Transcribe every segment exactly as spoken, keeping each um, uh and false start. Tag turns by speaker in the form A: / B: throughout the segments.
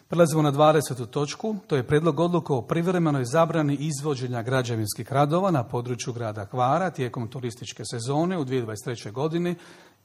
A: Prelazimo na dvadesetu točku, to je prijedlog odluke o privremenoj zabrani izvođenja građevinskih radova na području grada Hvara tijekom turističke sezone u dvije tisuće dvadeset trećoj. godini.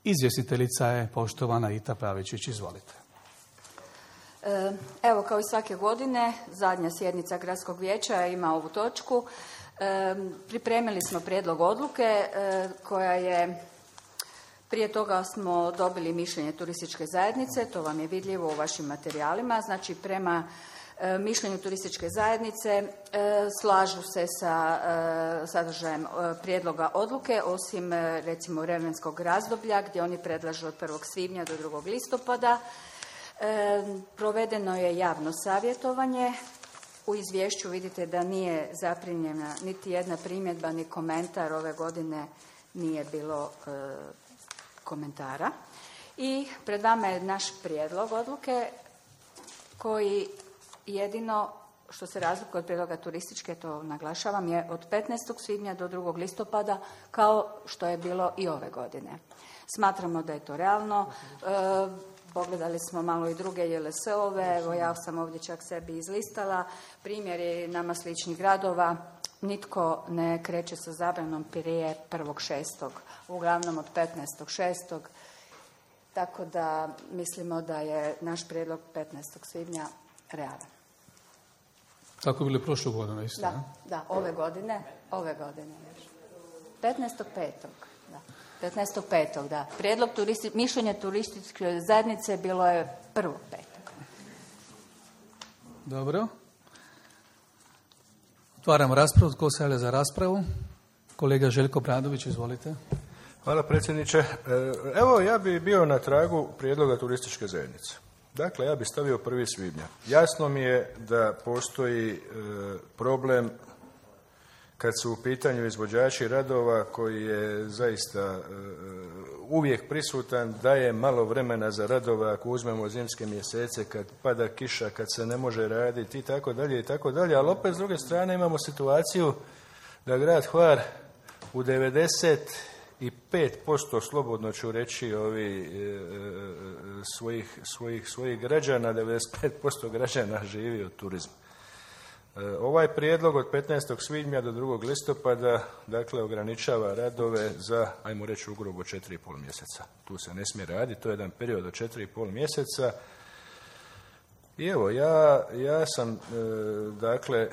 A: Izvjestiteljica je poštovana Ita Pavičić. Izvolite.
B: Evo, kao i svake godine, zadnja sjednica Gradskog vijeća ima ovu točku. Pripremili smo prijedlog odluke koja je, prije toga smo dobili mišljenje turističke zajednice, to vam je vidljivo u vašim materijalima. Znači, prema mišljenju turističke zajednice slažu se sa sadržajem prijedloga odluke, osim recimo vremenskog razdoblja gdje oni predlažu od prvog svibnja do drugog listopada. Provedeno je javno savjetovanje. U izvješću vidite da nije zaprimljena niti jedna primjedba ni komentar. Ove godine nije bilo e, komentara. I pred vama je naš prijedlog odluke koji jedino što se razlikuje od prijedloga turističke, to naglašavam, je od petnaestog svibnja do drugog listopada kao što je bilo i ove godine. Smatramo da je to realno. E, Pogledali smo malo i druge J L S-ove, evo ja sam ovdje čak sebi izlistala primjeri nama sličnih gradova. Nitko ne kreće sa zabranom prije prvog šestog, uglavnom od petnaestog šestog. Tako da mislimo da je naš prijedlog petnaestog svibnja realan.
A: Tako je bilo prošle godine isto?
B: Da, da, ove godine, ove godine još. petnaestog petog da. petnaestog petog da. Prijedlog turisti, mišljenja turističke zajednice bilo je prvog petog
A: Dobro. Otvaramo raspravu. Tko se javlja za raspravu? Kolega Željko Bradović, izvolite.
C: Hvala predsjedniče. Evo, ja bi bio na tragu prijedloga turističke zajednice. Dakle, ja bi stavio prvi svibnja. Jasno mi je da postoji problem kad su u pitanju izvođači radova koji je zaista uh, uvijek prisutan, daje malo vremena za radove ako uzmemo zimske mjesece kad pada kiša, kad se ne može raditi i tako dalje i tako dalje, ali opet s druge strane imamo situaciju da grad Hvar u devedeset pet posto slobodno ću reći ovi uh, svojih, svojih, svojih građana, devedeset pet posto građana živi od turizma. Ovaj prijedlog od petnaestog svibnja do drugog listopada dakle ograničava radove za, ajmo reći, ugrubo četiri i pol mjeseca. Tu se ne smije raditi, to je jedan period od četiri i pol mjeseca. I evo, ja, ja sam e, dakle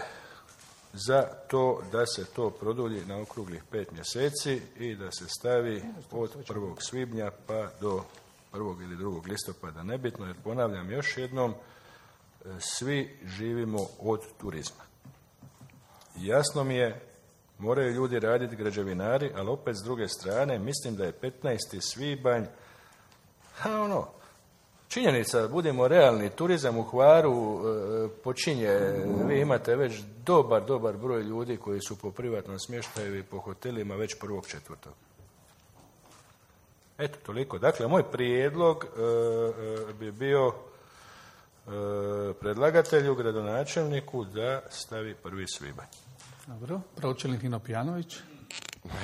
C: za to da se to produlji na okruglih pet mjeseci i da se stavi od prvog svibnja pa do prvog ili drugog listopada, nebitno, jer ponavljam još jednom, svi živimo od turizma. Jasno mi je, moraju ljudi raditi, građevinari, ali opet s druge strane mislim da je petnaesti svibanj, a ono, činjenica, budemo realni, turizam u Hvaru e, počinje, vi imate već dobar, dobar broj ljudi koji su po privatnom smještaju i po hotelima već prvog četvrtog. Eto, toliko. Dakle, moj prijedlog e, e, bi bio predlagatelju, gradonačelniku da stavi prvi svibanj.
A: Dobro. Pročelnik Nino Pijanović.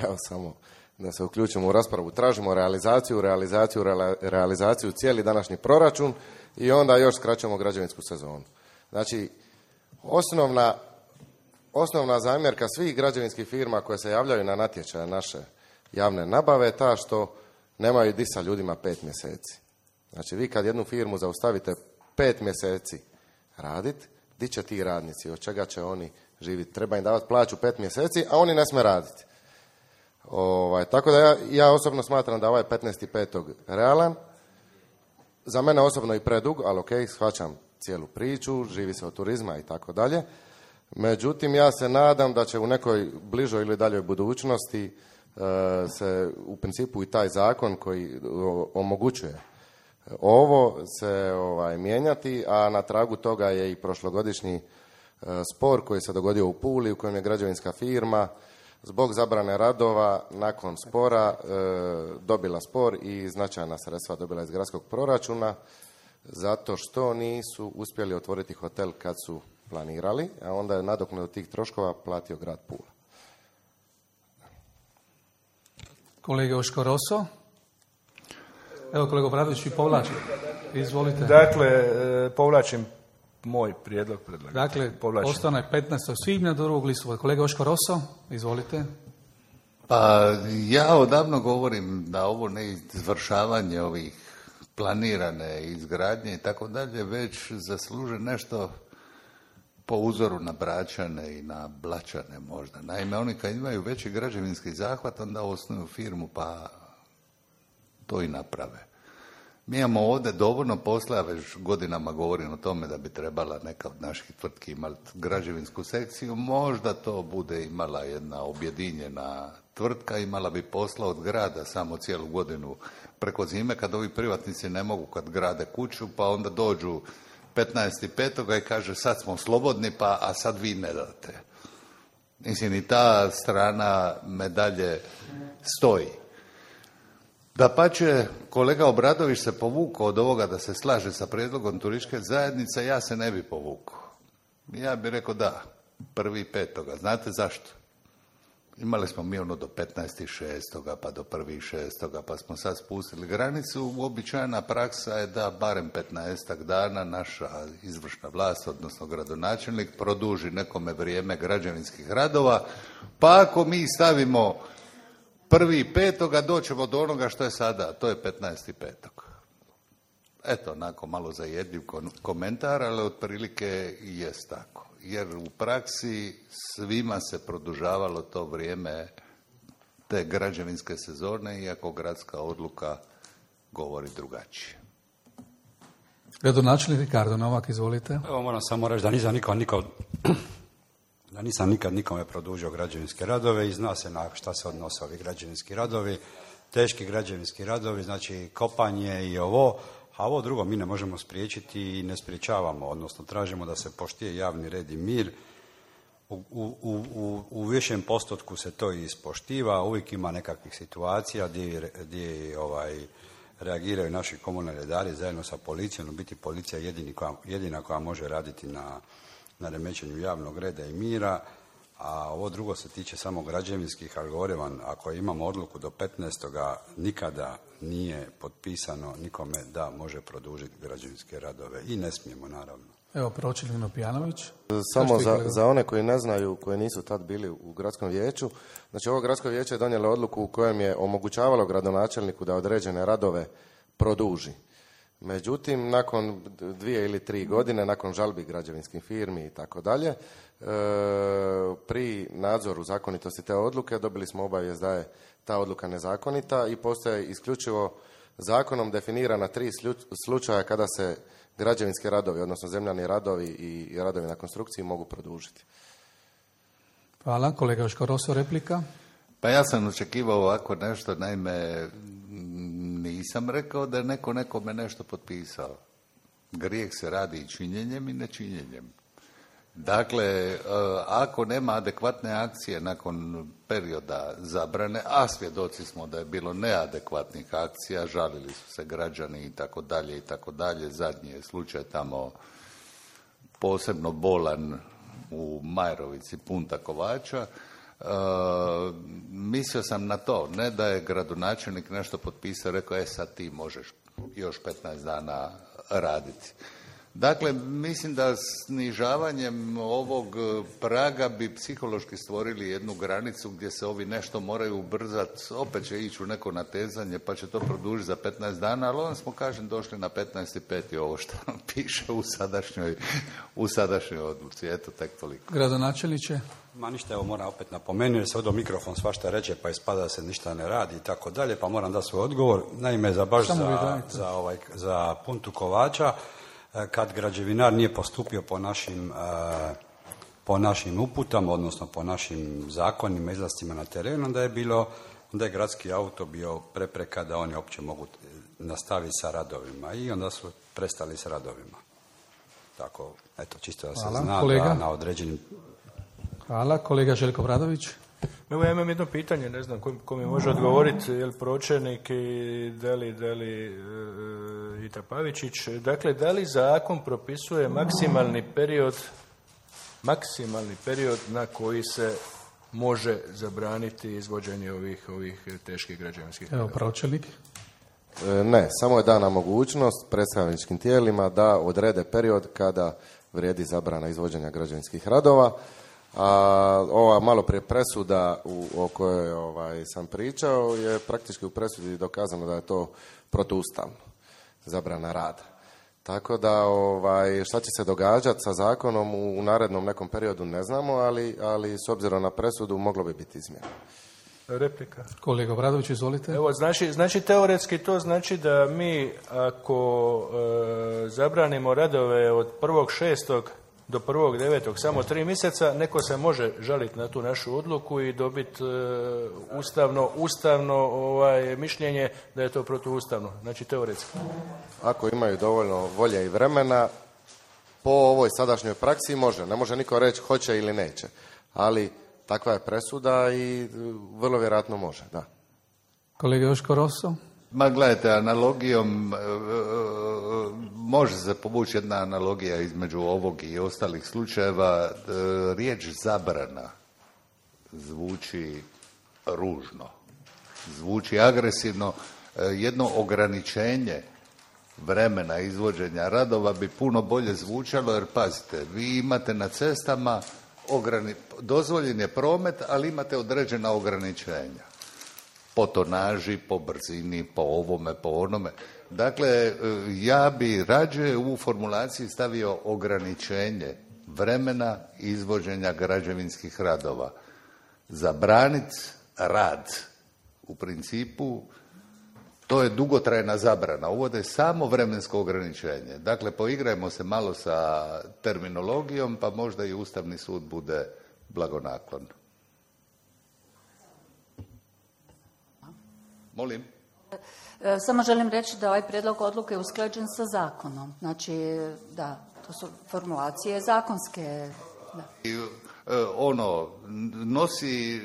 D: Evo samo da se uključimo u raspravu. Tražimo realizaciju, realizaciju, realizaciju cijeli današnji proračun i onda još skraćujemo građevinsku sezonu. Znači, osnovna, osnovna zamjerka svih građevinskih firma koje se javljaju na natječaje naše javne nabave je ta što nemaju di sa ljudima pet mjeseci. Znači, vi kad jednu firmu zaustavite pet mjeseci raditi, di će ti radnici, od čega će oni živjeti? Treba im davati plaću pet mjeseci, a oni ne smije raditi. Ovaj, tako da ja, ja osobno smatram da ovaj petnaesti petog realan. Za mene osobno i predug, ali ok, shvaćam cijelu priču, živi se od turizma i tako dalje. Međutim, ja se nadam da će u nekoj bližoj ili daljoj budućnosti e, se u principu i taj zakon koji omogućuje ovo se ovaj, mijenjati, a na tragu toga je i prošlogodišnji e, spor koji se dogodio u Puli u kojem je građevinska firma zbog zabrane radova nakon spora e, dobila spor i značajna sredstva dobila iz gradskog proračuna zato što nisu uspjeli otvoriti hotel kad su planirali, a onda je nadoknadu tih troškova platio grad Pula.
A: Kolega Oško Roso. Evo, kolega Bradović, vi povlačite. Izvolite.
C: Dakle, povlačim moj prijedlog predlagatelja.
A: Dakle,
C: Povlačim.
A: ostane petnaestog svibnja do drugog listopada. Kolega Oško Roso, izvolite.
E: Pa ja odavno govorim da ovo ne izvršavanje ovih planirane izgradnje i tako dalje već zasluže nešto po uzoru na Bračane i na Blačane možda. Naime, oni kad imaju veći građevinski zahvat, onda osnuju firmu pa to i naprave. Mi imamo ovdje dovoljno posla, već godinama govorim o tome da bi trebala neka od naših tvrtki imati građevinsku sekciju, možda to bude imala jedna objedinjena tvrtka, imala bi posla od grada samo cijelu godinu preko zime, kad ovi privatnici ne mogu, kad grade kuću, pa onda dođu petnaestog petog i kaže sad smo slobodni, pa a sad vi ne date. Mislim, i ta strana medalje stoji. Dapače, kolega Obradović se povukao od ovoga da se slaže sa prijedlogom turističke zajednice, ja se ne bi povukao. Ja bih rekao da, prvi petoga. Znate zašto? Imali smo mi ono do petnaestog šestoga pa do prvog šestoga pa smo sad spustili granicu. Uobičajena praksa je da barem petnaestak dana naša izvršna vlast, odnosno gradonačelnik, produži nekome vrijeme građevinskih radova, pa ako mi stavimo prvi petoga doćemo do onoga što je sada, to je petnaestog petog. Eto, onako malo zajedljiv komentar, ali otprilike jest tako. Jer u praksi svima se produžavalo to vrijeme te građevinske sezone, iako gradska odluka govori drugačije.
A: Gradonačelnik Ricardo Novak, izvolite.
F: Evo moram samo reći da nisam nikad, nikad, da nisam nikad nikome produžio građevinske radove i zna se na šta se odnose ovi građevinski radovi. Teški građevinski radovi, znači kopanje i ovo, a ovo drugo mi ne možemo spriječiti i ne spriječavamo, odnosno tražimo da se poštuje javni red i mir. U, u, u, u višem postotku se to ispoštiva, uvijek ima nekakvih situacija gdje, gdje ovaj, reagiraju naši komunalni redari zajedno sa policijom. U biti policija je jedini koja, jedina koja može raditi na, na remećenju javnog reda i mira, a ovo drugo se tiče samo građevinskih, ali govorim vam, ako imamo odluku do petnaestoga nikada nije potpisano nikome da može produžiti građevinske radove i ne smijemo, naravno.
A: Evo, pročelnik Pijanović.
D: Samo za, za one koji ne znaju, koji nisu tad bili u gradskom vijeću, znači ovo gradsko vijeće je donijelo odluku u kojem je omogućavalo gradonačelniku da određene radove produži. Međutim, nakon dvije ili tri godine, nakon žalbi građevinskih firmi i tako dalje, pri nadzoru zakonitosti te odluke dobili smo obavijest da je ta odluka nezakonita i postoje isključivo zakonom definirana tri slučaja kada se građevinski radovi, odnosno zemljani radovi i radovi na konstrukciji mogu produžiti.
A: Hvala. Kolega Joško Roso, replika.
E: Pa ja sam očekivao ovako nešto, naime nisam rekao da je neko nekome nešto potpisao. Grijeh se radi i činjenjem i nečinjenjem. Dakle, ako nema adekvatne akcije nakon perioda zabrane, a svjedoci smo da je bilo neadekvatnih akcija, žalili su se građani i tako dalje i tako dalje. Zadnji je slučaj tamo posebno bolan u Majrovici, Punta Kovača. Uh, mislio sam na to, ne da je gradonačelnik nešto potpisao, rekao, e sad ti možeš još petnaest dana raditi. Dakle, mislim da snižavanjem ovog praga bi psihološki stvorili jednu granicu gdje se ovi nešto moraju ubrzati, opet će ići u neko natezanje pa će to produžiti za petnaest dana, ali onda smo, kažem, došli na petnaesti peti ovo što piše u sadašnjoj, u sadašnjoj odluci. Eto, tek toliko.
A: Gradonačelniče?
F: Ma ništa, evo moram opet napomenuti, jer se ovdje mikrofon svašta reče, pa ispada da se ništa ne radi i tako dalje, pa moram dati svoj odgovor. Naime, za baš za, za, ovaj, za Puntu Kovača, kad građevinar nije postupio po našim, po našim uputama, odnosno po našim zakonima, izlascima na terenu, onda je bilo, onda je gradski auto bio prepreka da oni uopće mogu nastaviti sa radovima i onda su prestali s radovima. Tako, eto, čisto da se
A: Hvala.
F: zna
A: Kolega?
F: da na određenim...
A: Hvala. Kolega Željko Bradović.
C: Evo ja imam jedno pitanje, ne znam ko, ko mi može odgovoriti, je li pročelnik i Deli, Deli e, i Trapavičić. Dakle, da li zakon propisuje maksimalni period, maksimalni period na koji se može zabraniti izvođenje ovih, ovih teških građevinskih radova?
A: Evo, pročelnik.
D: Ne, samo je dana mogućnost predstavničkim tijelima da odrede period kada vrijedi zabrana izvođenja građevinskih radova. A ova malo prije presuda u, o kojoj ovaj, sam pričao je praktički u presudi dokazano da je to protuustavno, zabrana rada. Tako da ovaj, šta će se događati sa zakonom u, u narednom nekom periodu ne znamo, ali, ali s obzirom na presudu moglo bi biti izmjena.
C: Replika.
A: Kolega Obradović, izvolite.
C: Evo, znači, znači teoretski to znači da mi ako e, zabranimo radove od prvog šestog do prvog devetog samo tri mjeseca, neko se može žaliti na tu našu odluku i dobiti e, ustavno, ustavno ovaj, mišljenje da je to protuustavno. Znači teoretski.
D: Ako imaju dovoljno volje i vremena, po ovoj sadašnjoj praksi može. Ne može niko reći hoće ili neće. Ali takva je presuda i vrlo vjerojatno može, da.
A: Kolega Joško Rosso?
E: Ma gledajte, analogijom, e, e, može se povući jedna analogija između ovog i ostalih slučajeva. E, riječ zabrana zvuči ružno, zvuči agresivno. E, jedno ograničenje vremena izvođenja radova bi puno bolje zvučalo, jer pazite, vi imate na cestama ograni, dozvoljen je promet, ali imate određena ograničenja. Po tonaži, po brzini, po ovome, po onome. Dakle, ja bi rađe u formulaciji stavio ograničenje vremena izvođenja građevinskih radova. Zabraniti rad. U principu, to je dugotrajna zabrana. Uvode samo vremensko ograničenje. Dakle, poigrajmo se malo sa terminologijom, pa možda i Ustavni sud bude blagonaklon. Molim?
B: Samo želim reći da ovaj prijedlog odluke je usklađen sa zakonom. Znači, da, to su formulacije zakonske. Da.
E: I, ono, nosi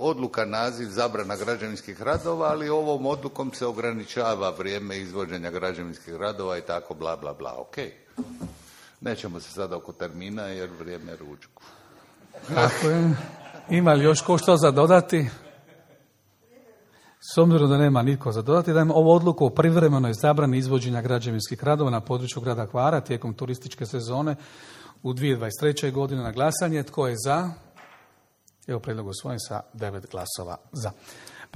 E: odluka naziv zabrana građevinskih radova, ali ovom odlukom se ograničava vrijeme izvođenja građevinskih radova i tako bla, bla, bla. Ok. Nećemo se sada oko termina jer vrijeme je ručku.
A: Tako je. Ima li još ko što za dodati? S obzirom da nema nitko za dodati, dajem ovu odluku o privremenoj zabrani izvođenja građevinskih radova na području grada Hvara tijekom turističke sezone u dvije tisuće dvadeset treće. godine na glasanje. Tko je za? Evo prijedlog usvojen sa devet glasova za.